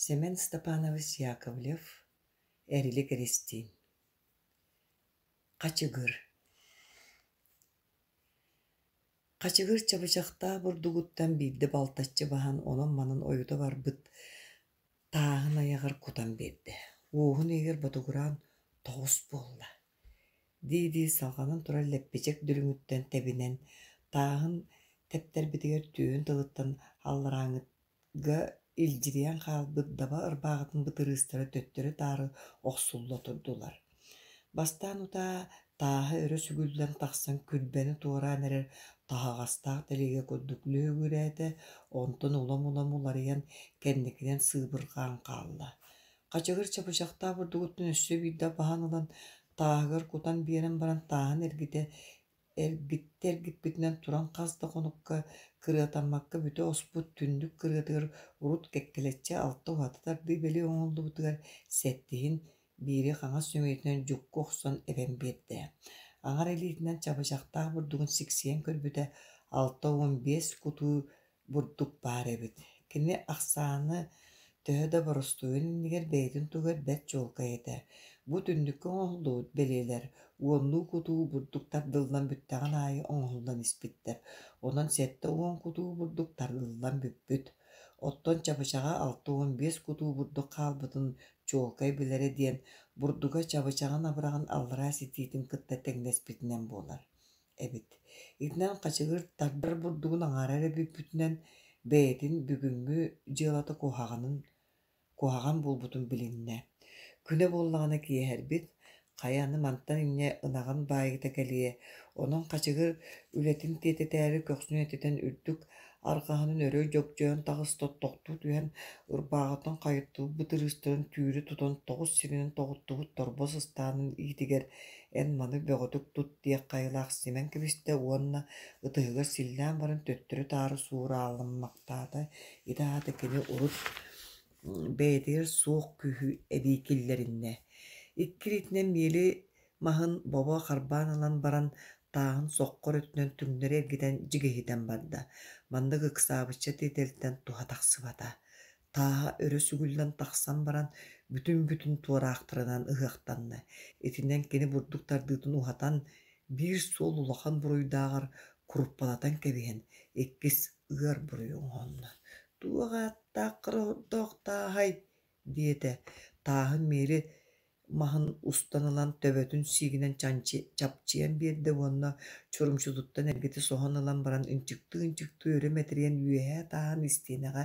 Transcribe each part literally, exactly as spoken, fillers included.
Сэмэн Степанович Яковлев, Эрилик Эристиин Хачыгыр Хачыгыр чабычахтаах бурдугуттан биирдэ балтаччы баһан онон-манан ойута барбыт тааһын айаҕар кутан биэрдэ. Уоһун иһигэр ботугураан тоҕус буолла дии-дии салҕанан турар лэппичэк дүлүҥүттэн тэбинэн, тааһын тэптэрбитигэр түөһүн тылыттан алларааҥҥыга илдьирийэн хаалбыт даба ырбааҕытын бытырыыстара төттөрү-таары охсулла турдулар. Бастаан утаа тааһа өрө сүгүллэн тахсан күрбэни туораан эрэр таһаҕастаах тэлиэгэ курдук лүһүгүрээтэ, онтон улам-улам уларыйан, кэнникинэн сыыбырҕаан хаалла. Хачыгыр чабычахтаах бурдугуттан өссө биирдэ баһан ылан, тааһыгар кутан биэрэн баран тааһын эргитэ эргиттэ эргиппитинэн туран хас да хонукка кырыатаммакка бүтэ оспут түннүк кырыатыгар урут кэккэлэччи алта уһата тардыы бэлиэ оҥоһуллубутугар сэттиһин биири хаҥас сөмүйэтинэн дьукку охсон эбэн биэрдэ. Аҥар илиитинэн чабычахтаах бурдугун сиксийэн көрбүтэ алта уон биэс кутуу бурдук баар эбит. Кини ахсааны төһө да боростуойун иннигэр бэйэтин туһугар бэрт чуолкай этэ. Бу түннүккэ оҥоһуллубут бэлиэлэр уоннуу кутуу бурдук тардыллан бүттэҕин аайы оҥоһуллан испиттэр. Онон сэттэ уон кутуу бурдук тардыллан бүппүт. Оттон чабычаҕа алта уон биэс кутуу бурдук хаалбытын чуолкай билэрэ диэн, бурдуга чабычаҕын абыраҕын аллараа ситиитин кытта тэҥнэспитинэн буолар эбит. Итинэн Хачыгыр тардар бурдугун аҥаара эрэ бүппүтүнэн бэйэтин бүгүҥҥү дьыалата куһаҕанын куһаҕан буолбутун билиннэ. Күнэ буоллаҕына киэһэрбит, хайа аны мантан инньэ ынаҕын баайыыта кэлиэ, онон Хачыгыр үлэтин тиэтэтээри көхсүн этитэн үрдүк арҕаһынан өрө дьөгдьөйөн таҕыста, тохтуу түһэн ырбааҕыттан хайыттыбыт бытырыыстарын түүрү тутан тоҕус сиринэн тоҕуттубут торбос ыстаанын иитигэр эн маны бөҕөтүк тут диэх хайалаах симэн кэбистэ уонна ытыһыгар силлээн баран төттөрү-таары суурааламмахтаата. Ити аата кини урут бэйэтигэр суох күүһү эбии киллэриннэ. Икки илиитинэн миэли маһын бобо харбаан ылан баран тааһын соххор өттүнэн түҥнэри эргитэн дьигиһитэн барда. Маннык ыксаабычча тиэтэлтэн туһа тахсыбата. Тааһа өрө сүгүллэн тахсан баран бүтүн-бүтүн туораахтарынан ыһыахтанна. Итинэн кини бурдук тардыытын уһатан, биир суол улахан буруйдааҕар куруппалатан кэбиһэн, иккис ыар буруйу оҥоһунна. «Туох ааттаах хара тааһай?» диэтэ. Тааһын миэли маһын устан ылан төбөтүн сиигинэн чапчыйан биэрдэ уонна чурумчутуттан эргитэ соһон ылан баран ынчыктыы-ынчыктыы өрө мэтэрийэн үөһээ тааһын истиэнэҕэ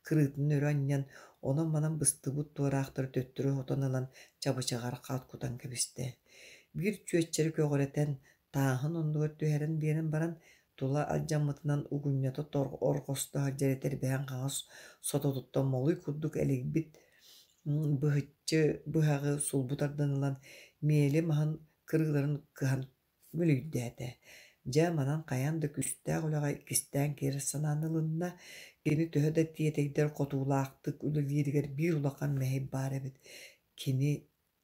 кырыытын өрө анньан, онон-манан быстыбыт туораахтары төттөрү сотон ылан чабычаҕар хаат кутан кэбистэ. Биир чүөччэри көҕүрэтэн, тааһын оннугар түһэрэн биэрэн баран, тула алдьаммытынан угунньата орҕосто сылдьар этэрбэһин хаҥас сототуттан молуй курдук элэйбит быһыччы быһаҕы сулбу тардан ылан, миэли маһын кырыыларын кыһан мүлүйдээтэ. Дьэ, манан хайаан да күүстээх үлэҕэ иккистээн киирэр санааны ылынна. Кини төһө да тиэтэйдэр хотуулаахтык үлэлииригэр биир улахан мэһэй баар эбит. Кини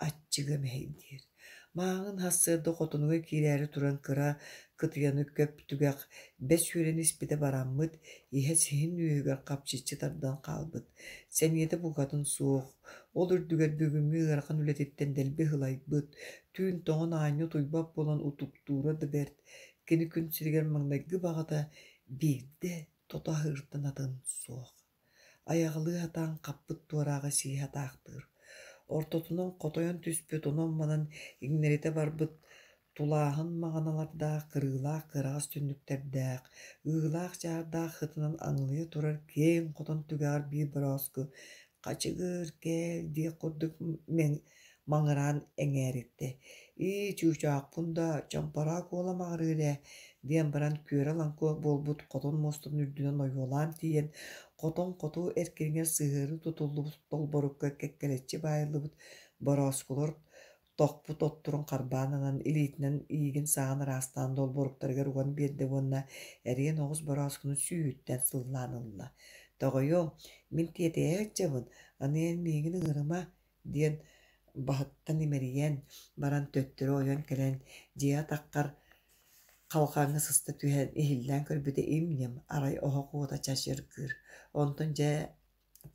аччыга мэһэйдиир. Мааҕын сарсыарда хотонугар киирээри туран кыра кытыйаны көп түгэх бэс үөрэн испитэ бараммыт, иһэ сиһин үөһүгэр хапчыччы тардан хаалбыт. Сэниэтэ букатын суох, ол үрдүгэр бүгүҥҥү ыарахан үлэтиттэн дэлби ыһылайбыт, түүн тоҥон аанньа утуйбат буолан утуктуура да бэрт. Кини күн сиригэр маҥнайгы баҕата биирдэ тото аһыыртан атын суох. Айаҕалыы сатаан хаппыт туорааҕы сии сатаахтыыр. Ортотунан хотойон түспүт онон-манан иҥнэритэ барбыт тулааһын маҕаналардаах, кырыылаах кыараҕас түннүктэрдээх, ыылаах-чаардаах ытынан аҥылыйа турар киэҥ хотон түгэҕэр биир борооску «Хачыгыр, кэл» диэх курдук маҥыраан эҥээриттэ. «Ии, чуучаахпын да, чомпороох уола маҕырыыр ээ» диэн баран күөрэ-лаҥкы буолбут хотон муостатын үрдүнэн ойуолаан тиийэн, хотон хоту эркинигэр сыһыары тутуллубут долборукка кэккэлэччи баайыллыбыт борооскулар тохпут отторун харбаан ылан, илиитинэн иигин-сааҕын ыраастаан долборуктарыгар уган биэрдэ уонна эриэн оҕус борооскуну сүүһүттэн сыллаан ылла. «Тоҕойуом, мин тиэтэйэ сылдьабын, аны эн миигин ыҥырыма» диэн баһыттан имэрийэн баран төттөрү ойон кэлэн дьиэ атаххар халҕаҥҥа сыста түһэн иһиллээн көрбүтэ им-ньим, арай оһох уота чачыргыыр. Онтон дьэ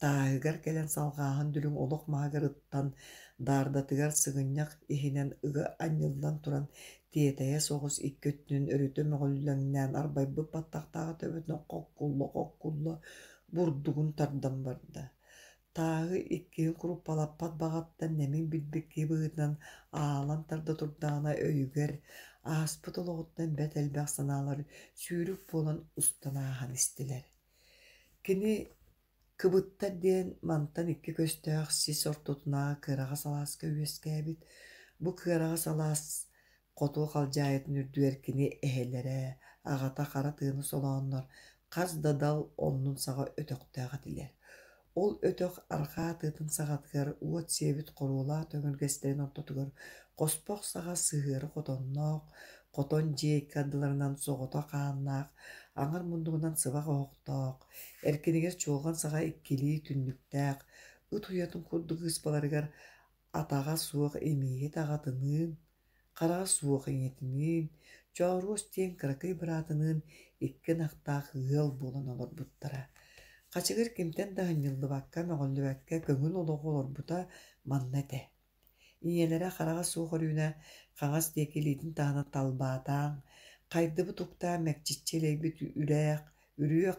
Тааһыгар кэлэн салҕааһын дүлүҥ олох маһыгар ыттан, даардатыгар сыгынньах иһинэн ыга анньыллан туран, тиэтэйэ соҕус икки өттүнэн өрүтэ мөҕүллэҥнээн арбайбыт баттахтаах төбөтүнэн хоккулла-хоккулла бурдугун тардан барда. Тааһы иккиһин куруппалаппат баҕаттан нэмин билбит киһи быһыытынан аалан тарда турдаҕына өйүгэр, ааспыт олоҕуттан бэрт элбэх санаалар сүүрүк буолан устан ааһан истилэр. Кини Кыбыттар диэн мантан икки көстөөх сис ортотунааҕы кыараҕас алааска үөскээбит. Бу кыараҕас алаас хоту халдьаайытын үрдүгэр кини эһэлэрэ, аҕата хара тыаны солооннор хас да дал оннун саҕа өтөхтөөх этилэр. Ол өтөх арҕаа тыатын саҕатыгар уот сиэбит хоруолаах төҥүргэстэрин ортотугар хоспох саҕа сыһыары хотонноох, хотон дьиэ икки ардыларынан соҕотох хааннаах, аҥар муннугунан сыбах оһохтоох, эркинигэр чуолҕан саҕа иккилии түннүктээх, ыт уйатын курдук ыыспаларыгар атаҕа суох имииһит аҕатыныын, хараҕа суох ийэтиниин, Чооруос диэн кыракый быраатыныын икки ынахтаах ыал буолан олорбуттара. Хачыгыр кимтэн да аһынньыллыбакка, мөҕүллүбэккэ көҥүл олоҕу олорбута манна этэ. Ийэлэрэ хараҕа суох Өрүүнэ хаҥас диэки илиитин таһынан талбаатаан, хайдыбыт уктаан мэкчиччи элэйбит үрээх, үрүөх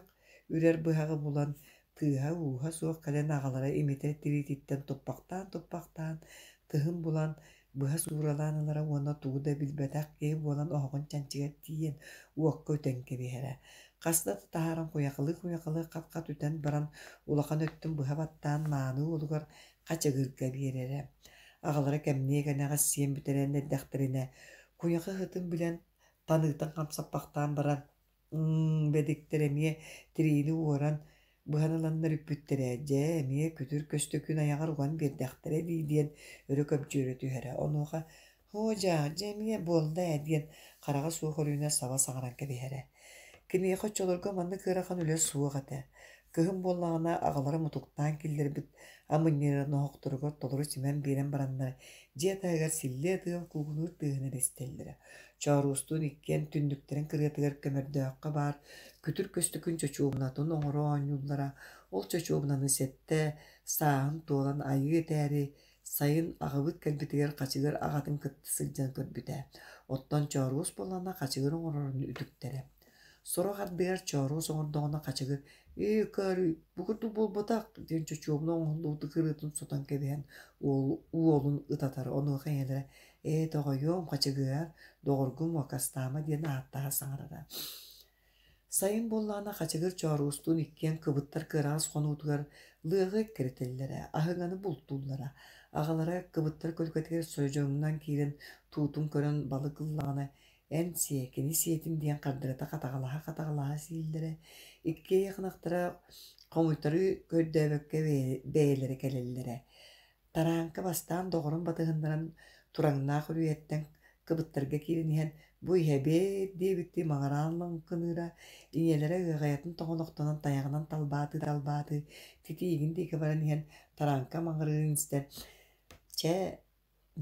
үрэр быһаҕы булан, тыаһа-ууһа суох кэлэн аҕалара имитэр тириититтэн туппахтаан-туппахтаан тыһын булан, быһа сууралаан ылара уонна тугу да билбэтэх киһи буолан оһоҕун чанчыгар тиийэн уокка үтэн кэбиһэрэ. Хаста да таһааран куйахалыы-куйахалыы хат-хат үтэн баран улахан өттүн быһа баттаан мааны уолугар хачыгырга биэрэрэ. Аҕалара кэмниэ кэнэҕэс сиэн бүтэрэн эрдэхтэринэ, куйаха ыһытын билэн, таныытын хамсаппахтаан баран, «М бэдиктэр эмиэ тириини уоран, быһан ыланнар үппүттэрэ, дьэ, эмиэ күтүр көстөкүүн айаҕар уган биэрдэхтэрэ дии» диэн өрө көбдьүөрэ түһэрэ. Онуоха «Һоо дьаа, дьэ эмиэ буолла ээ» диэн хараҕа суох Өрүүнэ саба саҥаран кэбиһэрэ. Киниэхэ оччолорго маннык ыарахан үлэ суох этэ. Кыһын буоллаҕына аҕалара мутуктаан киллэрбит амынньыарын оһохторугар толору симэн биэрэн бараннар, дьиэ таһыгар силлиэ тыал куугунуур тыаһын эрэ истэллэрэ. Чооруостуун иккиэн түннүктэрин кырыатыгар көмөрдөөххө баар күтүр көстөкүүн чочуобунатын оҥоро оонньууллара. Ол чочуобунаны сэттэ сааһын туолан айыы этээри, сайын аҕабыт кэлбитигэр Хачыгыр аҕатын кытта сылдьан көрбүтэ. Оттон Чооруос буоллаҕына Хачыгыр оҥорорун үтүктэрэ. Сорох ардыгар Чооруос оҥордоҕуна Хачыгыр «Ээ, Карый, бу курдук буолбатах» диэн чочуобуна оҥоһуллубут кырыытын сотон кэбиһэн уол, уолун ытатар. Онуоха ийэлэрэ «Ээ, тоҕойуом, Хачыгыар, доҕоргум муокастаама» диэн ааттаһа саҥарара. Сайын буоллаҕына Хачыгыр Чооруостуун иккиэн кыбыттар кыараҕас хонуутугар лыаҕы эккирэтэллэрэ, аһыҥаны бултууллара. Аҕалара кыбыттар көлүкэтигэр содьороҥнон киирэн туутун көрөн балык ыллаҕына эн сиэ, кини сиэтин диэн хардарыта хатаҕалаһа-хатаҕалаһа сииллэрэ. Иккиэйэх ынахтара хомуйтарыы көрдөөбөккө бэйэлэрэ кэлэллэрэ. Тарааҥка бастаан доҕорун батыһыннаран Тураҥнаах үрүйэттэн кыбыттарга киирэн иһэн «Бу иһэбиэт» диэбиттии маҕараан лаҥкыныыра, ийэлэрэ ыаҕайатын тоҕонохтонон тайаҕынан талбаатыы-талбаатыы титиигин диэки баран иһэн Тарааҥка маҥырыырын истэн «Чэ,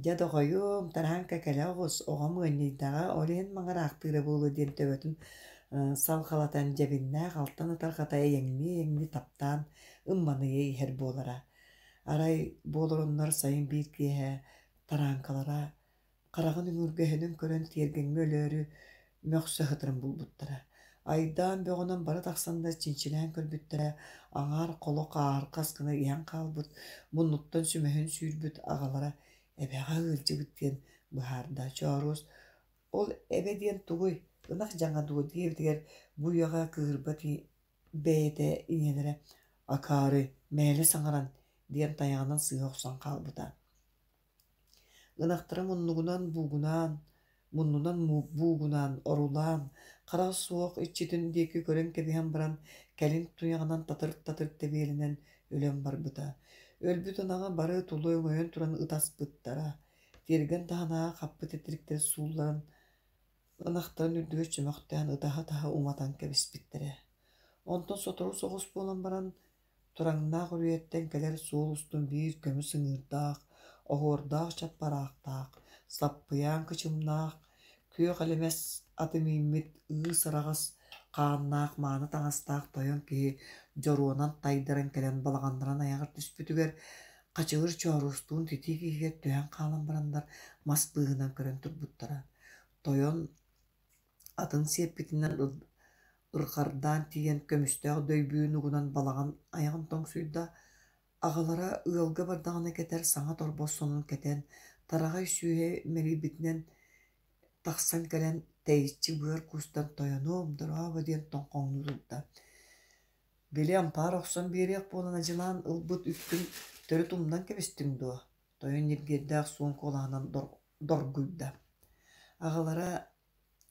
дьэ доҕойуом, Тарааҥка кэлэ оҕус, оҕом ыанньыйдаҕа, ол иһин маҥыраахтыыра буолуо» диэн төбөтүн салҕалатан дьэбиннээх алтан ытарҕата эйэҥнии-эйэҥнии таптаан ымманыйа иһэр буолара. Арай бу олороннор сайын биир киэһэ тарааҥкалара хараҕын өҥүргэһинин көрөн тиэргэҥҥэ өлөөрү мөхсө сытарын булбуттара. Айдаан бөҕөнөн бары тахсаннар чинчилээн көрбүттэрэ, аҥаар холо хаархас гына иһэн хаалбыт, муннуттан сүмэһин сүүрбүт аҕалара эбэҕэ ыалдьыбыт диэн быһаарда. Чооруос «Ол эбэ диэн тугуй, ынах дьаҥа дуо?» диэбитигэр бу үйэҕэ кыыһырбат бэйэтэ ийэлэрэ «Акаары, мээлэ саҥаран» диэн тайаҕынан сыыһа охсон хаалбыта. Ынахтара муннугунан буугунаан, муннунан буугунаан, орулаан, хараҕа суох иччитин диэки көрөн кэбиһэн баран, кэлин туйаҕынан татыр-татыр тэбиэлэнэн өлөн барбыта. Өлбүт ынаҕы бары тула өҥөйөн туран ытаспыттара. Тиэргэн таһынааҕы хаппыт титириктэр суулларан, ынахтарын үрдүгэр чөмөхтөөн ытаһа-ытаһа уматан кэбиспиттэрэ. Онтон сотору соҕус буолан баран, Тураҥнаах үрүйэттэн кэлэр суол устун биир көмүс ыҥыырдаах, оһуордаах чаппараахтаах, саппыйаан кычымнаах, күөх элэмэс аты мииммит ыыс араҕас Хааннаах мааны таҥастаах тойон киһи дьоруонан тайдаран кэлэн балаҕаннарын айаҕар түспүтүгэр Хачыгыр Чооруостуун титиик иһигэр түһэн хаалан бараннар мас быыһынан көрөн турбуттара. Тойон атын сиэппитинэн ырҕардаан тиийэн көмүстээх дөйбүүн угунан балаҕан айаҕын тоҥсуйда. Аҕалара ыалга бардаҕына кэтэр саҥа торбос сонун кэтэн, тараҕай сүүһэ мэлийбитинэн тахсан кэлэн тэйиччи быар куустан «Тойонуом, дорообо» диэн тоҥхоҥнуу турда. «Били ампаар охсон биэриэх буолан адьылаан ылбыт үпкүн төрүт умнан кэбистиҥ дуо?» Тойон ньиргиэрдээх суон куолаһынан доргуйда. Аҕалара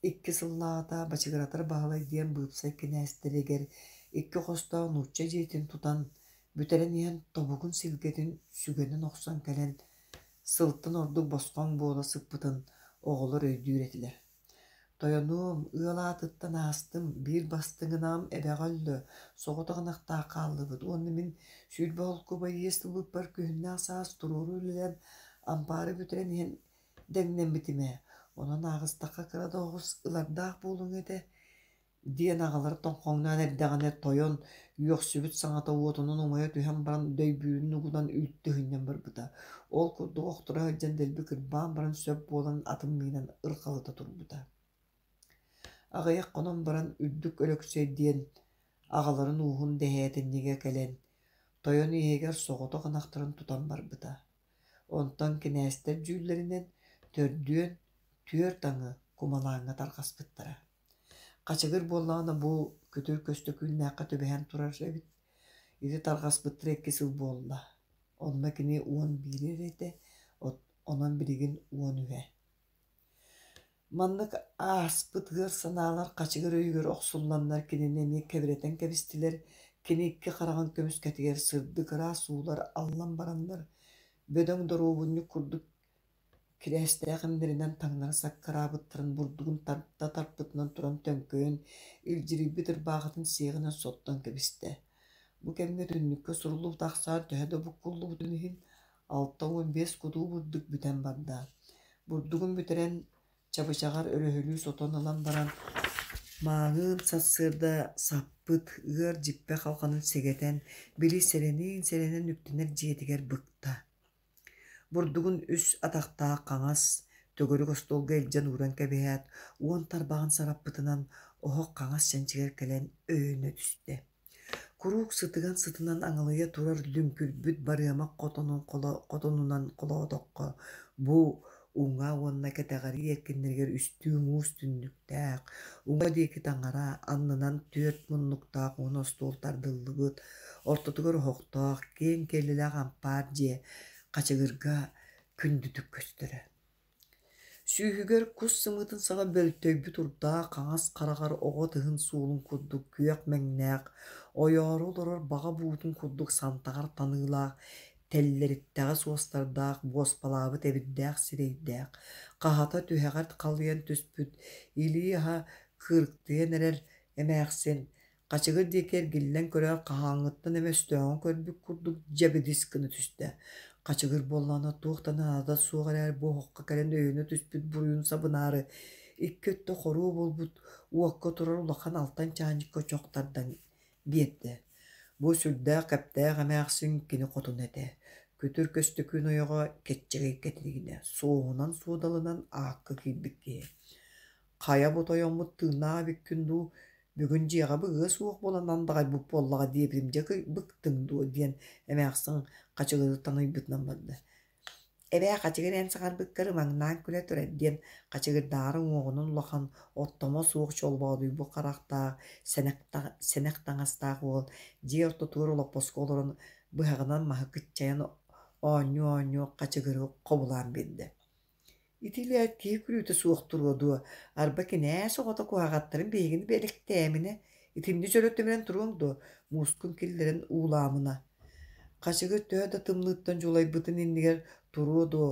икки сыллааҕыта Бачыгыратар Баһылай диэн быыпсай кинээстэригэр икки хостоох нуучча дьиэтин тутан, бүтэрэн иһэн тобугун силгэтин сүгэнэн охсон кэлэн, сылтан ордук босхоҥ буола сыппытын оҕолор өйдүүр этилэр. «Тойонуом, ыал аатыттан аастым, биир бастыҥынаам эбэҕэ өллө, соҕотох ынахтаах хааллыбыт уонна мин сүүрбэ холкуобай иэс ылбыппар күһүннээх саас туруору үлэлээн ампаары бүтэрэн иһэн дэҥнэммитим ээ, онон ааҕыстахха кыра да оҕус ылардаах буолуоҥ этэ» диэн аҕалара тоҥхоҥноон эрдэҕинэ тойон үөхсүбүт саҥата уотунан умайа түһэн баран дөйбүүрүн угунан үлтү ыһынньан барбыта. Ол курдук охторо сылдьан дэлби кырбаан баран сөп буолан атын миинэн ырҕалыта турбута. Аҕыйах хонон баран Үрдүк Өлөксөй диэн аҕаларын ууһун дэһээтинньигэ кэлэн, тойон иһигэр соҕотох ынахтарын тутан барбыта. Онтон кинээстэр дьүүллэринэн төрдүөн түөрт аҥы кумалааҥҥа тарҕаспыттара. Хачыгыр буоллаҕына бу күтүр Көстөкүүннээххэ түбэһэн турар эбит. Ити тарҕаспыттара икки сыл буолла. Онно кини уон биир эрэ этэ, онон билигин уон үһэ. Маннык ааспыт ыар санаалар Хачыгыр өйүгэр охсулланнар кинини эмиэ кэбирэтэн кэбистилэр. Кини икки хараҕын көмүскэтигэр сырдык ыраас уулар аллан бараннар, бөдөҥ доруобунньук курдук кирээстээх имнэринэн таҥнары саккыраабыттарын бурдугун тарта тарпытынан туран төҥкөйөн, илдьирийбит ырбаахытын сиэҕинэн соттон кэбистэ. Бу кэмҥэ түннүккэ суруллубут ахсаан төһө да буккуллубутун иһин, алта уон биэс кутуу бурдук бүтэн барда. Бурдугун бүтэрэн чабычаҕар өрөһөлүү сотон ылан баран, мааҕын сарсыарда саппыт ыар дьиппэ халҕанын сэгэтэн, били сэрэниин-сэрэнэн үктэнэр дьиэтигэр быкта. Бурдугун үс атахтаах хаҥас төгүрүк остуолга илдьэн ууран кэбиһээт, уон тарбаҕын сараппытынан оһох хаҥас чанчыгар кэлэн өйөнө түстэ. Куруук сытыган сытынан аҥалыйа турар лүҥкүрбүт барыамах хотонун хотонунан холоотоххо, бу уҥа уонна кэтэҕэрии эркиннэригэр үстүү муус түннүктээх, уҥа диэки таҥара, аннынан түөрт муннуктаах уон остуол тардыллыбыт, ортотугар оһохтоох, киэҥ киэлилээх ампаар дьиэ Хачыгырга күндүтүк көстөрө. Сүүһүгэр кус сымыытын саҕа бөлтөйбүт урдаах хаҥас хараҕар оҕо тыһын суолун курдук күөх мэҥнээх, ойоору олорор баҕа буутун курдук сантаҕар таныылаах, тэллэриттэҕэ суостардаах, буоспалаабыт эбирдээх сирэйдээх, хаһата түһэҕэр халыйан түспүт, илии аһа кыырыктыйан эрэр эмээхсин Хачыгыр диэки эргиллэн көрөөт хаһааҥҥыттан эмэ өстөөҕүн көрбүт курдук дьэбидис гына түстэ. Хачыгыр буоллаҕына туох да наадата суох эрээри бу оһоххо кэлэн өйөнө түспүт буруйун сабынаары икки өттө хоруо буолбут уокка турар улахан алтан чаанньыкка чох тардан биэрдэ. Бу сүрдээх кэптээх эмээхсин кини хотуна этэ. Күтүр Көстөкүүн ойоҕо Кэччэгэй Кэтириинэ суоһунан-суодалынан аакка киирбит киһи. «Хайа бу тойоммут тыыннаах эбиккин дуу, бүгүн дьиэҕэ быгыа суох буолан андаҕайбыт буоллаҕа диэбитим дьэ быктыҥ дуо» диэн эмээхсин Хачыгыры таныйбытынан барда. «Эбээ, Хачыгыр эн саҥарбыккар ымаҥнаан күлэ турар» диэн Хачыгырдааҕар уҥуоҕунан улахан, оттомо суох чолбоодуйбут харахтаах, сэнэх, сэнэх таҥастаах уол дьиэ ортотугар олоппоско олорон быһаҕынан маһы кыччайан оонньуу-оонньуу Хачыгыры хобулаан биэрдэ. Ити илээт киһи күлүүтэ суох туруо дуо, арба кинээс оҕото куһаҕаттарын биһигини бэлэхтээминэ, итиннэ дьөлө туруоҥ дуо, муускун киллэрэн уулаамына. Хачыгыр төһө да тымныыттан дьулайбытын иннигэр туруо дуо,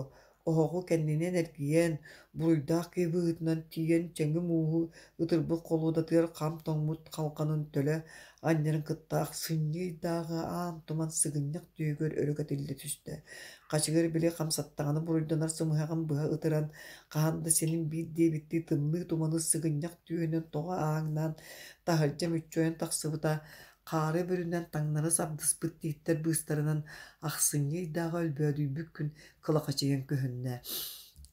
Оһоҕу кэннинэн эргийэн, буруйдаах киһи быһыытынан тиийэн чэҥи мууһу ытырбыт холуодатыгар хам тоҥмут халҕанын төлө анньарын кытта ахсынньы ыйдааҕы аан туман сыгынньах түөһүгэр өрө кэтиллэ түстэ. Хачыгыр били хамсаттаҕына буруйданар сымыһаҕын быһа ытыран, хаһан да синим биир диэбиттии тымныы туманы сыгынньах түөһүнэн тоҕо ааҥнаан, таһырдьа мүччү ойон тахсыбыта, хаары бүрүнэн таҥнары сабдыспыт тииттэр быыстарынан ахсынньы ыйдааҕы өлбөөдүйбүт күн кылахачыйан көһүннэ.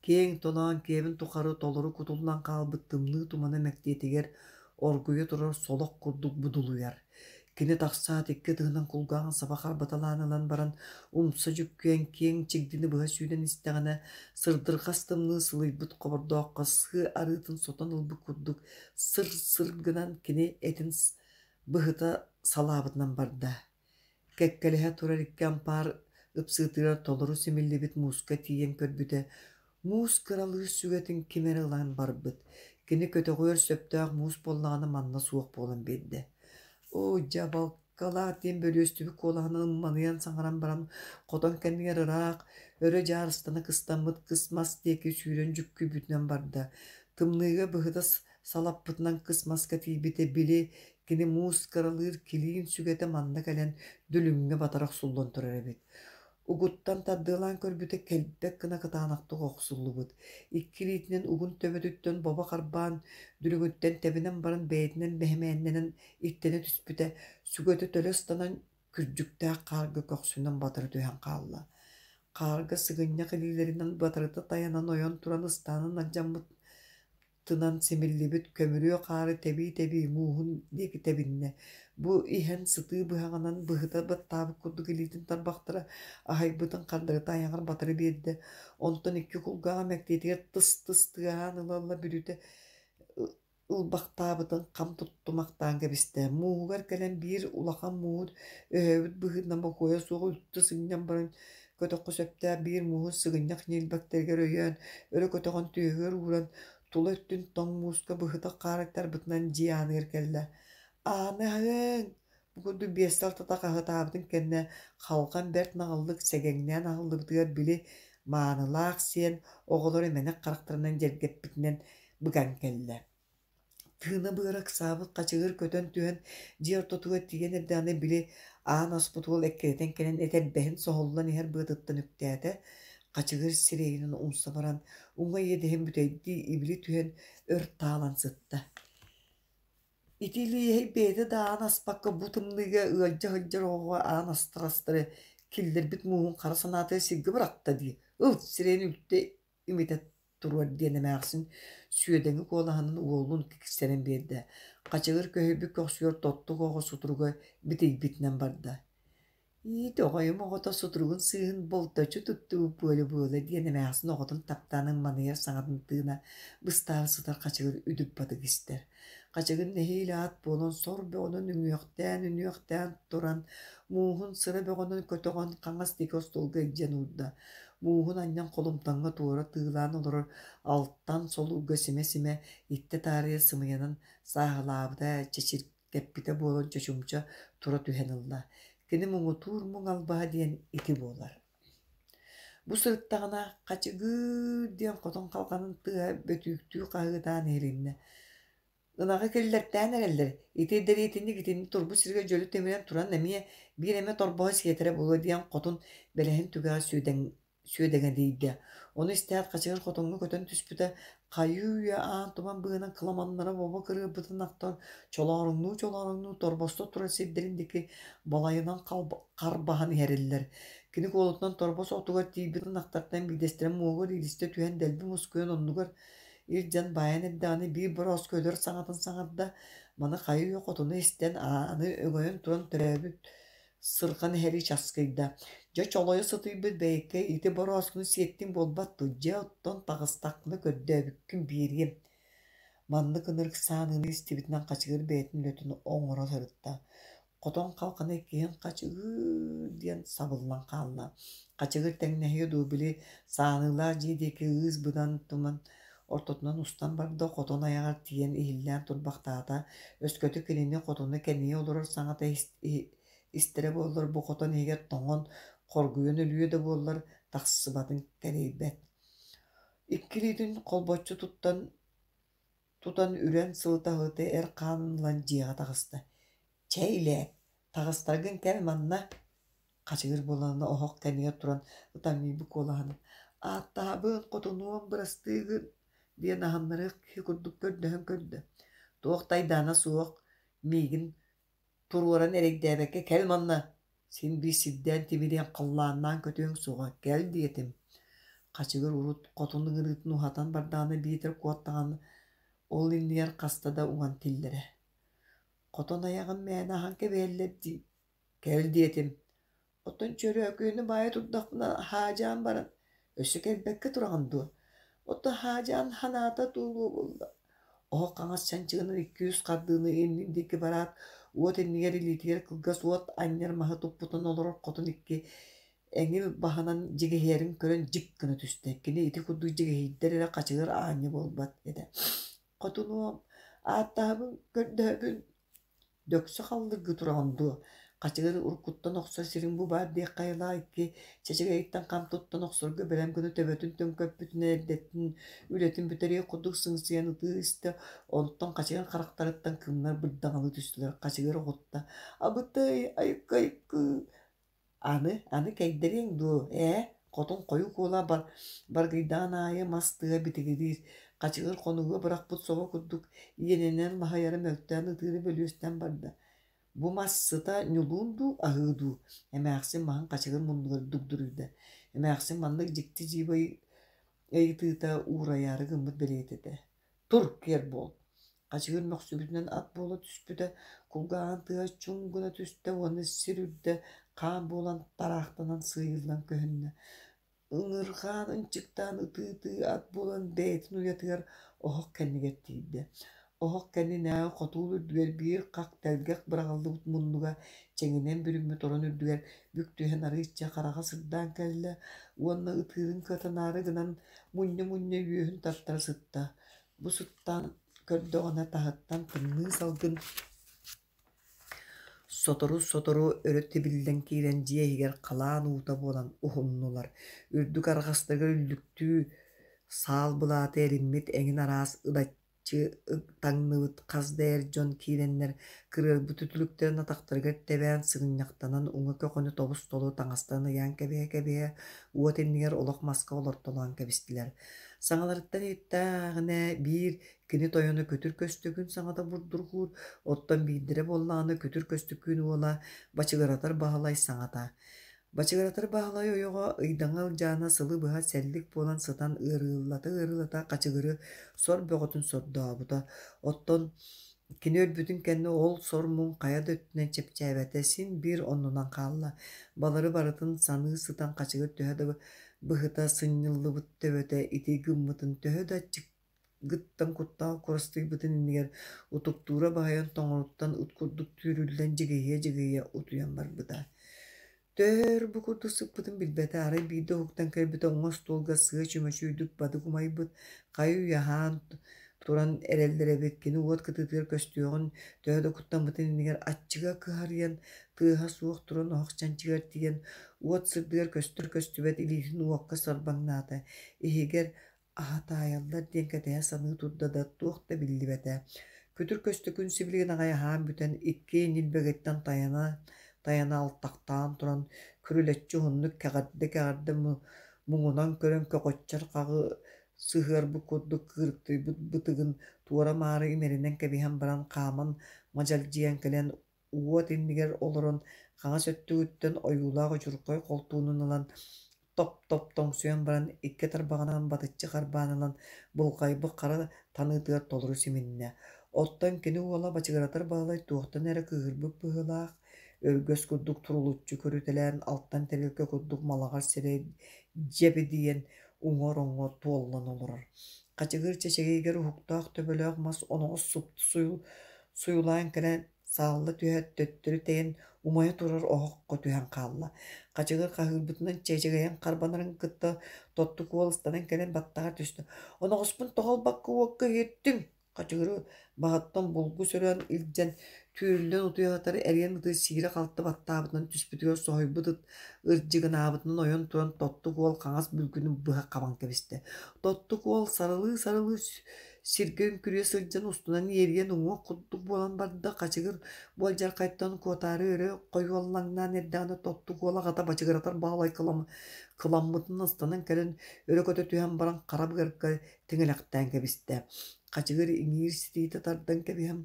Киэҥ толоон киэбин тухары толору кутуллан хаалбыт тымныы тумана мэктиэтигэр оргуйа турар солох курдук будулуйар. Кини тахсаат икки ытыһынан кулгааҕын саба харбаталаан ылан баран, умса дьүккүйэн киэҥ чигдини быһа сүүрэн истэҕинэ, сырдырҕас тымныы сылыйбыт хобордооххо сыа арыытын сотон ылбыт курдук сыр-сыр гынан кини этин быһыта салаабытынан барда. Кэккэлэһэ турар икки ампаар ыпсыытыгар толору симиллибит мууска тиийэн көрбүтэ, муус кыралыыр сүгэтин ким эрэ ылан барбыт. Кини көтөҕүөр сөптөөх муус буоллаҕына манна суох буолан биэрдэ. «Оо, дьабалкалаах» диэн бөлүөстүбүт куолаһынан ымманыйан саҥаран баран, хотон кэннигэр ыраах, өрө дьаарыстана кыстаммыт кыс мас диэки сүүрэн дьүккүйбүтүнэн барда. Тымныыга быһыта салаппытынан кыс маска тиийбитэ, били, кини муус кыралыыр килиин сүгэтэ манна кэлэн дүлүҥҥэ батара охсуллан турар эбит. Угуттан тардыалаан көрбүтэ кэлбэт гына кытаанахтык охсуллубут. Икки илиитинэн угун төбөтүттэн бобо харбаан, дүлүҥүттэн тэбинэн баран бэйэтинэн бэһимээннэнэн иттэнэ түспүтэ, сүгэтэ төлө ыстанан күрдьүктээх хаарга көхсүнэн батары түһэн хаалла. Хаарга сыгынньах илиилэринэн батарыта тайанан ойон туран ыстаанын алдьаммыт тынан симиллибит көмүрүө хаары тэбии-тэбии мууһун диэки тэбиннэ. Бу иһэн сытыы быһаҕынан быһыта баттаабыт курдук илиитин тарбахтара аһайбытын хардарыта айаҕар батары биэрдэ. Онтон икки кулгааҕа мэктиэтигэр тыс-тыс тыаһаан ыла-ыла бүрүтэ ылбахтаабытын хам туттумахтаан кэбистэ. Мууһугар кэлэн биир улахан мууһу өһөөбүт быһыытынан бокуойа суох үлтү сынньан баран көтөххө сөптөөх биир мууһу сыгынньах ньилбэктэригэр өйөөн, өрө көтөҕөн түөһүгэр ууран, тула өттүн тоҥ мууска быһыта хаарыктарбытынан дьиэ ааныгар кэллэ. «Ааны аһыаҥ!» Бу курдук биэстэ алтата хаһытаабытын кэннэ халҕан бэрт наҕыллык сэгэҥнээн аһыллыбытыгар били маанылаах сиэн оҕолор эмэнэх харахтарынан дьэргэппитинэн быган кэллэ. Тыына быара ыксаабыт хачыгыр көтөн түһэн дьиэ ортотугар тиийэн эрдэҕинэ били аан аспыт уол эккирэтэн кэлэн этэрбэһин соһуллан иһэр быатыттан үктээтэ. Хачыгыр сирэйинэн умса баран уҥа иэдэһин бүтэйдии ибили түһэн өр таалан сытта. Ити илииһэй бэйэтэ да аан аспакка бу тымныыга ыалдьа сылдьар оҕоҕо аан астар-астары киллэрбит мууһун хара санаатыгар сиргэ бырахта дии, ыл сирэйин үлтү имитэ туруор диэн эмээхсин сүөдэҥи куолаһынан уолун киксэрэн биэрдэ. Хачыгыр көһүйбүт көхсүгэр тоттук оҕо сутуруга битийбитинэн барда. Иит оҕойум оҕото сутуругун сыыһын болточчу туттубут буола-буола диэн эмээхсин оҕотун таптаан ымманыйар саҥатын тыына быстаары сытар хачыгыр үдүк-бадык истэр. Хачыгыр нэһиилэ ат буолан сор бөҕөнөн үҥүөхтээн-үнүөхтээн туран, мууһун сыра бөҕөнөн көтөҕөн хаҥас диэки остуолга илдьэн уурда. Мууһун анньан холумтаҥҥа туора тыылаан олорор алтан солуурга симэ-симэ иттэ таарыйа сымыйанан сааһылаабыта, чэчиргэппитэ буолан чочумча тура түһэн ылла. Кини муҥутуур муҥ албаһа диэн ити буолар. Бу сырыттаҕына «Хачыгыыр» диэн хотон халҕанын тыаһа бөтүүктүү хаһыытаан иһилиннэ. Ынаҕы киллэртээн эрэллэр, ити дэриэтинньик итинник турбут сиргэ дьөлө тимирэн туран эмиэ биир эмэ торбоһу сиэтэрэ буолуо диэн хотун бэлэһин түгэҕэ сүөдэҥ сүөдэҥэлийдэ. Ону истээт хачыгыр хотоҥҥо көтөн түспүтэ, хайыы-үйэ аан туман быыһынан кыламаннара бобо кырыырбытын ахтан, чолооруҥнуу-чолооруҥнуу торбосто турар сирдэрин диэки балайынан харбаһан иһэриллэр. Кини куолутунан торбос отугар тиийбит ынахтартан биирдэстэрэ муоһугар иилистэ түһэн дэлби мускуйан оннугар илдьэн баайан эрдэҕинэ биир борооску өлөр саҥатын саҥарда, маны хайыы-үйэ хотуна истэн, ааны өҥөйөн туран төрөөбүт сырҕан иһэрии часкыйда. Дьэ чолойо сытыйбыт бэйэккэ ити борооскуну сиэттиҥ буолбат дуо, дьэ оттон таҕыстахпына көрдөөбүккүн биэриэм. Маннык ынырык сааныыны истибитинэн хачыгыр бэйэтин үлэтин оҥоро сырытта. Хотон халҕана иккиһин «Хачыгыр» диэн сабыллан хаалла. Хачыгыр тэҥнэһиэ дуу, били сааныылаах дьиэ диэки ыыс быдан туман ортотунан устан барда, хотон айаҕар тиийэн иһиллээн турбахтаата. Өскөтө кинини хотуна кэнийэ олорор саҥата истэрэ буоллар, бу хотон иһигэр тоҥон, хоргуйан өлүө да буоллар, тахсыбатын кэрэйбэт. Икки илиитин холбоччу туттан тутан үрэн сылыта-сылыта эр хаанын ылан дьиэҕэ таҕыста. «Чэй илээт, таҕыстаргын кэл манна» Хачыгыр буолан оһох кэннигэр туран ытамньыйбыт куолаһынан «Ааттаһабын, хотунуом, бырастыы гын» диэн аһыннарыах киһи курдук көрдөһөн көрдө. Туох да айдаана суох, миигин туруоран эрэйдээбэккэ кэл манна, син биир сирдээн тимириэн халлааннаан көтүөҥ суоҕа, кэл диэтим. Хачыгыр урут хотун ыҥырыытын уһатан бардаҕына биитэр куоттаҕына ол иннигэр хаста да уҥан тиллэрэ. Хотон айаҕын мээнэ аһан кэбиһэллэр дии. Кэл диэтим. Оттон чөрөөкүөнү баайа турдахпына хаадьаан баран, өссө кэлбэккэ тураҕын дуо? Оттон хаадьаан ханаата туолуо буолла. Оһох хаҥас чанчыгынан икки-үс хардыыны иннин диэки бараат, уот иннигэр илиитигэр кылгас уот анньар маһы туппутун олорор хотун икки эҥил баһынан дьигиһийэрин көрөн дьик гына түстэ. Кини ити курдук дьигиһийдэр эрэ хачыгыр аанньа буолбат этэ. Хотунуом, ааттаһабын, көрдөһөбүн, дөксө халлыргыы тураҕын дуо? Хачыгыр уруккуттан охсор сириҥ бу баар диэххэ айылаах икки чэчэгэйиттэн хам туттан охсорго бэлэм гына төбөтүн төҥкөппүтүнэн эрдэттэн үлэтин бүтэриэх курдук сыҥсыйан ытыы истэ, онтон хачыгыр харахтарыттан кыымнар бырдаҥалыы түстүлэр. Хачыгыр оҕутта: «Абытай, айыкка-айыккыы!» Аны, аны кэйдэриэҥ дуо, ээ, хотун хойуу куола бар, баргыйдаан аайы мас тыа битигириир, хачыгыр хонууга бырахпыт собо курдук иэнинэн маһыйара мөлтөөн ытыыра бөлүөстэн барда. Бу мас сыта ньулуун дуу, аһыы дуу? Эмээхсин маһын хачыгыр муннугар дугдуруйда. Эмээхсин маннык дьикти дьиибэ ыйытыыта уурайаары гыммыт бэлиэтэ этэ. Тур, киэр буол! Хачыгыр мөхсүбүтүнэн ат буола түспүтэ, кулгааҕын тыаһа чуҥ гына түстэ уонна сир үрдэ хаан буолан тараахтанан сыыйыллан көһүннэ. Ыҥырҕаан ынчыктаан ытыы-ытыы ат буолан бэйэтин уйатыгар оһох кэннигэр тиийдэ. Оһох кэннинээҕи хотуул үрдүгэр биир хах тэлгэх быраҕыллыбыт муннуга чэҥинэн бүрүммүт орон үрдүгэр бүк түһэн арыычча хараҕа сырдаан кэллэ уонна ытыырын кыатанаары гынан мунньа-мунньа үөһүн тартара сытта. Бу сыттаан көрдөҕүнэ таһыттан тымныы салгын сотору-сотору өрө тибиллэн киирэн дьиэ иһигэр халаан уута буолан уһуннулар. Үрдүк арҕастарыгар үллүктүү саал былааты эриммит эҥин араас ылаччы таҥныбыт хас да эр дьон киирэннэр кырыарбыт үтүлүктэрин атахтарыгар тэбээн сыгынньахтанан уҥа көхөнү тобус-толору таҥастарын ыйаан кэбиһэ-кэбиһэ уот иннигэр олох маска олортолоон кэбистилэр. Саҥаларыттан иһиттээҕинэ биир кини тойоно Күтүр Көстөкүүн саҥата бурдургуур, оттон биирдэрэ буоллаҕына Күтүр Көстөкүүн уола Бачыгыратар Баһылай саҥата. Бачыгыратар Баһылай ойоҕо Ыйдаҥа Ылдьаана сылы быһа сэллик буолан сытан ыарыылата-ыарыылата хачыгыры сор бөҕөтүн сордообута. Оттон кини өлбүтүн кэннэ ол сор-муҥ хайа да өттүнэн чэпчээбэтэ, син биир оннунан хаалла. Балары барытын саныы сытан хачыгыр төһө да быһыта сынньыллыбыт төбөтө ити гыммытын төһө да аччыгыттан куттаах курастыйбытын иннигэр утуктуура баһыйан тоҥоруттан ыт курдук түүрүллэн дьигиһийэ-дьигиһийэ утуйан барбыта. Төһө өр бу курдук сыппытын билбэтэ, арай биирдэ уһуктан кэлбитэ уҥа остуолга сыа чүмэчи бадык умайбыт, хайы-үйэ аһаан туран эрэллэр эбит. Кини уот кытыытыгар көстүөҕүн төһө да куттаммытын иннигэр аччыга кыһарыйан, тыаһа суох туран оһох чанчыгар тиийэн, уот сырдыгар көстөр-көстүбэт илиитин уокка сарбаҥнаата. Иһигэр аһатаайаллар диэн кэтэһэ саныы турда да, туох да биллибэтэ. Күтүр Көстөкүүн сибилигин аҕай аһаан бүтэн, икки ньилбэгиттэн тайана тайана алтахтаан туран, күрүлэччи уһуннук кэҕэрдэ-кэҕэрдэ муҥунан көрөн көҕөччөр хаҕы сыһыарбыт курдук кыырыктыйбыт бытыгын туора-маары имэринэн кэбиһэн баран хааман мадьалдьыйан кэлэн уот иннигэр олорон хаҥас өттүгүттэн ойуулаах удьурхай холтуунун ылан топ-топ тоҥсуйан баран икки тарбаҕынан батыччы харбаан ылан былҕайбыт хара таныытыгар толору симиннэ. Оттон кини уола Бачыгыратар Баһылай туохтан эрэ кыыһырбыт быһыылаах, өргөс курдук турулуччу көрүтэлээн алтан тэрилкэ курдук малаҕар сирэй дьэбидийэн уҥа ороҥҥо туоллан олорор. Хачыгыр чэчэгэйигэр уһуктаах төбөлөөх мас оноҕос супту суйулаан кэлэн саалла түһээт төттөрү тэйэн умайа турар оһоххо түһэн хаалла. Хачыгыр хаһыырбытынан чэчэгэйин харбанарын кытта тоттук уол ыстанан кэлэн баттаҕар түстэ. «Оноҕоспун тоҕо ылбакка уокка иһиттиҥ?» Хачыгыры баһыттан булгу сөрөөн илдьэн түүрүллэн утуйа сытар эриэн ыты сиирэ-халты баттаабытынан түспүтүгэр соһуйбут ыт ырдьыгынаабытынан ойон туран Тоттук уол хаҥас бүлгүнүн быһа хабан кэбистэ. Тоттук уол сарылыы-сарылыы сиргэ үҥкүрүйэ сылдьан устунан иэрийэн уҥуох курдук буолан барда. Хачыгыр бу алдьархайтан куотаары өрө хойуоллаҥнаан эрдэҕинэ Тоттук уол аҕата Бачыгыратар Баһылай кыламмытынан ыстанан кэлэн өрө көтө түһэн баран хара быарга тиҥилэхтээн кэбистэ. Хачыгыр иҥиир ситиитэ тардан кэбиһэн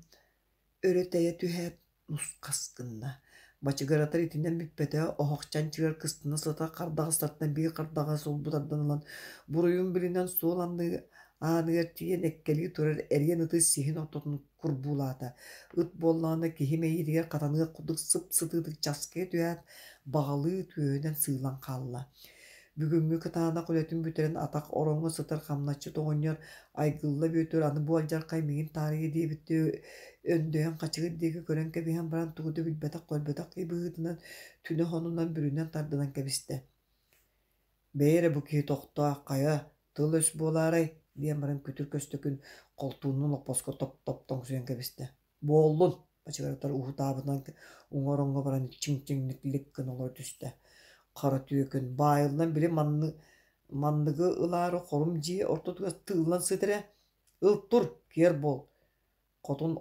өрө тэйэ түһээт нусхас гынна. Бачыгыратар итинэн бүппэтэ, оһох чанчыгар кыстана сытар хардаҕастартан биир хардаҕас сулбу тардан ылан, буруйун билинэн суол анны ааныгар тиийэн эккэлии турар эриэн ыты сиһин ортотун курбуулаата. Ыт буоллаҕына киһи мэйиитигэр хатаныах курдук сып-сытыытык часкыйа түһээт, баҕалыы түөһүнэн сыылан хаалла. Бүгүҥҥү кытаанах үлэтин бүтэрэн атах ороҥҥо сытар хамначчыт оҕонньор Айгылла Бүөтүр аны бу алдьархай миигин таарыйа диэбиттии өндөйөн хачыгыр диэки көрөн кэбиһэн баран тугу да билбэтэх-көрбөтөх киһи быһыытынан түнэ хонунан бүрүнэн тардынан кэбистэ. «Бэйэ эрэ бу киһи тохтоо, хайа, тыл-өс буолаарай?» диэн баран күтүр көстөкүн холтуунун олоппоско топ-топ тоҥсуйан кэбистэ. «Буоллун!» Бачыгыратар уһутаабытынан уҥа ороҥҥо баран чиҥ-чиҥник лик гына олоро түстэ. Хара түөкүн баайыллан били манны манныгы ылаары хорум дьиэ ортотугар тыыллан сытар ээ. Ыл тур, киэр буол. Хотун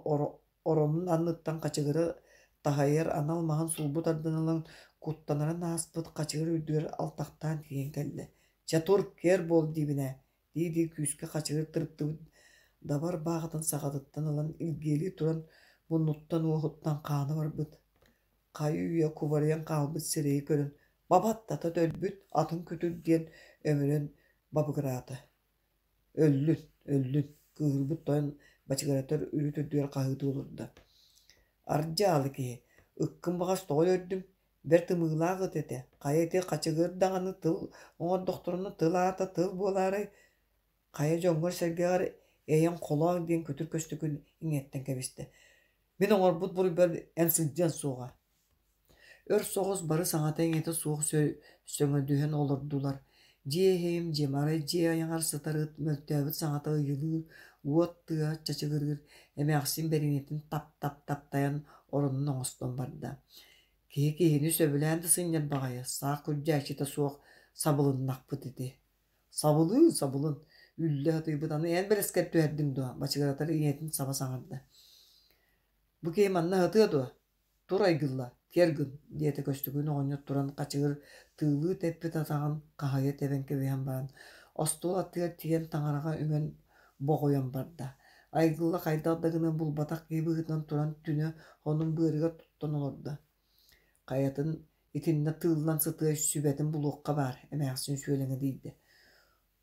оронун анныттан хачыгыры таһыйар анал маһын сулбу тардан ылан куттанарын ааспыт хачыгыр үрдүгэр алтахтаан тиийэн кэллэ. «Чэ тур, киэр буол диибин ээ» дии-дии күүскэ хачыгыр тырыттыбыт дабар бааҕытын саҕатыттан ылан илгиэлии туран муннуттан уоһуттан хаана барбыт. Хайы-үйэ кубарыйан хаалбыт сирэйи көрөн «Бабаттата өлбүт, атын күтүр» диэн өмүрэн бабыгыраата. «Өллүн, өллүн» кыыһырбыт тойон бачыгыратар үрүт үрдүгэр хаһыытыы олордо. «Ардьаалы киһи, ыккын баҕас тоҕо өлөрдүҥ? Бэрт ымыылаах ыт этэ, хайа ити хачыгыр даҕаны тыл оҥордохторуна тыл аата тыл буолаарай? Хайа дьоҥҥор-сэргэҕэр эйэҥ холооҥ» диэн күтүр көстөкүн иҥиэттэн кэбистэ. «Мин оҥорбут буруйбар эн сылдьыаҥ суоҕа». Өр соҕус бары саҥата-иҥэтэ суох сөҥөдүһэн олордулар. Дьиэ иһим, дьиэмарай дьиэ айаҕар сытар ыт мөлтөөбүт саҥата ыйылыыр, уот тыаһа чачыгырыыр, эмээхсин бэриниэтин тап-тап-таптайан оронун оҥостон барда. Киһи киһини сөбүлээн да сынньар баҕайы, саах күрдьээччитэ суох сабылыннахпыт ити. Сабылыын, сабылын, үллэ сатыйбыт аны эн бэлэскэр түһэрдиҥ дуо? Бачыгыратар ийэтин саба саҥарда. Бу киһи манна сытыа дуо? Тур айгылла, киэр гын, диэтэ Көстөкүүн оҕонньор туран хачыгыр тыылыы тэппит атаҕын хаһыйа тэбэн кэбиһэн баран, остуол аттыгар тиийэн таҥараҕа үҥэн боҕуйан барда. Айгылла хайдах да гынан булбатах киһи быһыытынан туран түнэ хонун быарыгар туттан олордо. Хайатын итиннэ тыыллан сытыа сүбэтин булуохха баар, эмээхсин сүөлэҥэ дийдэ.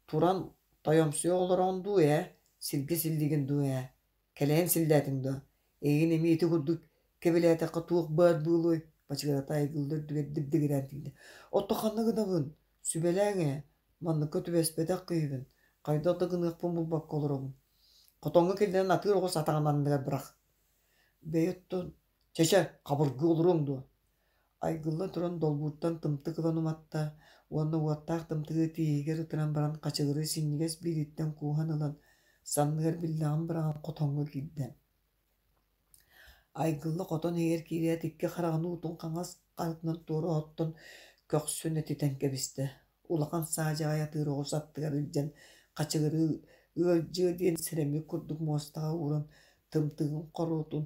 Туран тойомсуйа олороҕун дуу ээ, сиргэ силлигин дуу ээ, кэлэйэн силлээтиҥ дуо? Эйигин эмиэ ити курдук кэбилээтэххэ туох баар буолуой? Бачыгырата айгылла үрдүгэр дибдигирээн тиийдэ. Оттон ханна гынабын? Сүбэлээҥ ээ, манныкка түбэспэтэх киһибин, хайдах да гыныахпын булбакка олоробун. Хотоҥҥо киллэрэн атыыр оҕус атаҕын анныгар бырах. Бэйэ оттон, чэ-чэ, хабыргыы олоруоҥ дуо? Айгылла туран долбууртан тымтык ылан уматта уонна уоттаах тымтыгы тииһигэр ытыран баран хачыгыры синньигэс биилиттэн кууһан ылан санныгар биллэҕин быраҕан хотоҥҥо киирдэ. Айгылла хотон иһигэр киирээт икки хараҕын уутун хаҥас харытынан туора оттон көхсүн этитэн кэбистэ. Улахан саадьаҕай атыыр оҕус аттыгар илдьэн хачыгырыы ыалдьыа диэн сэрэммит курдук муостаҕа ууран тымтыгын хоруотун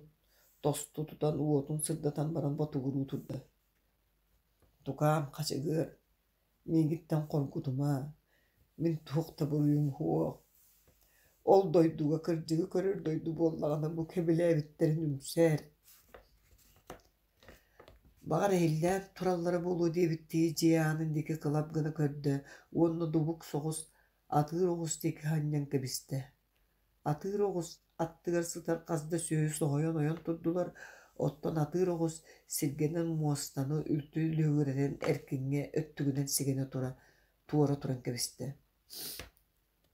тосту тутан уотун сырдатан баран ботугуруу турда. Тукаам хачыгыр, миигиттэн хоргутума, мин туох да буруйум суох. Ол дойдуга кырдьыгы көрөр дойду буоллаҕына бу кэбилээбиттэрин үҥсээр. Баҕар иһиллээн тураллара буолуо диэбиттии дьиэ аанын диэки кылап гына көрдө уонна дубук соҕус атыыр оҕус диэки анньан кэбистэ. Атыыр оҕус аттыгар сытар хас да сүөһү соһуйан ойон турдулар, оттон атыыр оҕус сиргэнэн муостаны үлтү лүһүгүрэтэн эркиҥҥэ өттүгүнэн сигэнэ тура туора туран кэбистэ.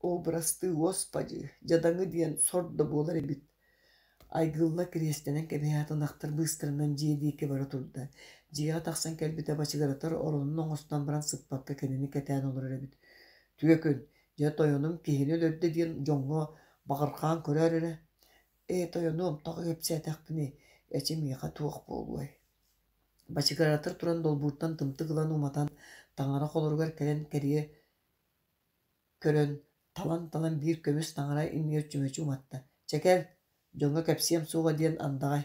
Оо, бырастыы Господи, дьадаҥы диэн сор да буолар эбит. Айгылла кириэстэнэн кэбиһээт ынахтар быыстарынан дьиэ диэки бара турда. Дьиэҕэ тахсан кэлбитэ бачыгыратар оронун оҥостон баран сыппакка кинини кэтээн олорор эбит. Түөкүн, дьэ тойонум киһини өлөрдө диэн дьоҥҥо баҕархаан көрөөр эрэ. Ээ, тойонуом, тоҕо кэпсээтэхпиний, эчи миэхэ туох буолуой Бачыгыратар туран долбууртан тымтык ылан уматан, таҥара холоругар кэлэн кэрийэ көрөн, талан-талан биир көмүс таҥара иннигэр чүмэчи уматта: «Чэ кэл, дьоҥҥо кэпсиэм суоҕа диэн андаҕай».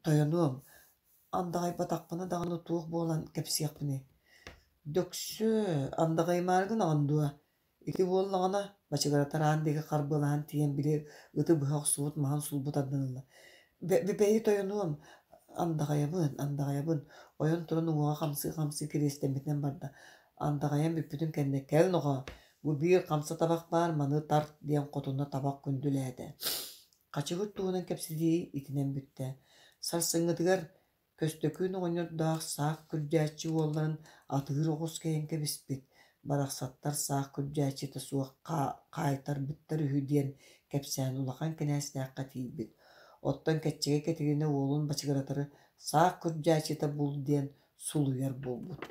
«Тойонуом, андаҕайбатахпына даҕаны туох буолан кэпсиэхпиний?» «Дөксө, андаҕайымаары гынаҕын дуо? Ити буоллаҕына» Бачыгыратар аан диэки харбыалаһан тиийэн били ыты быһа охсубут маһын сулбу тардан ылла. «Бэйи тойонуом, андаҕайабын, андаҕайабын» ойон туран уҥуоҕа хамсыы-хамсыы кириэстэммитинэн барда. Андаҕайан бүппүтүн кэннэ «Кэл нохоо, бу биир хамса табах баар, маны тарт» диэн хотуна табах күндүлээтэ. Хачыгыр туһунан кэпсэтии итинэн бүттэ. Сарсыҥҥытыгар Көстөкүүн оҕонньордоох саах күрдьээччи уолларын атыыр оҕус кэйэн кэбиспит, барахсаттар саах күрдьээччитэ суох хаайтарбыттар үһү диэн кэпсээн улахан кинээстээххэ тиийбит. Оттон Кэччэгэй Кэтириинэ уолун бачыгыратары саах күрдьээччитэ бул диэн сулуйар буолбут.